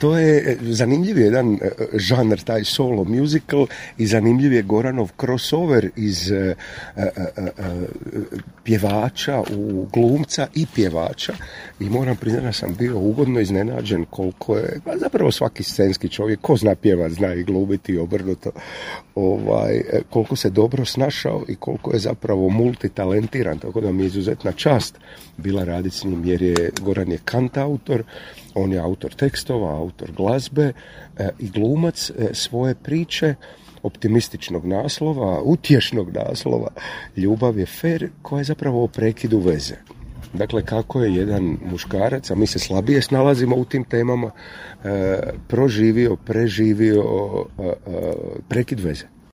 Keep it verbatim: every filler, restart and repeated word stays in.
to je zanimljiv jedan žanr, taj solo musical, i zanimljiv je Goranov crossover iz uh, uh, uh, uh, pjevača u glumca i pjevača, i moram priznati da sam bio ugodno iznenađen koliko je, pa zapravo svaki scenski čovjek, ko zna pjevat, zna i glumiti i obrnuto, ovaj, koliko se dobro snašao i koliko je zapravo multitalentiran, tako da mi je izuzetna čast bila raditi s njim, jer je Goran je kantautor, on je autor tekstova, autor glazbe e, i glumac e, svoje priče, optimističnog naslova, utješnog naslova, Ljubav je fer, koja je zapravo o prekidu veze. Dakle, kako je jedan muškarac, a mi se slabije snalazimo u tim temama, e, proživio, preživio e, e, prekid veze.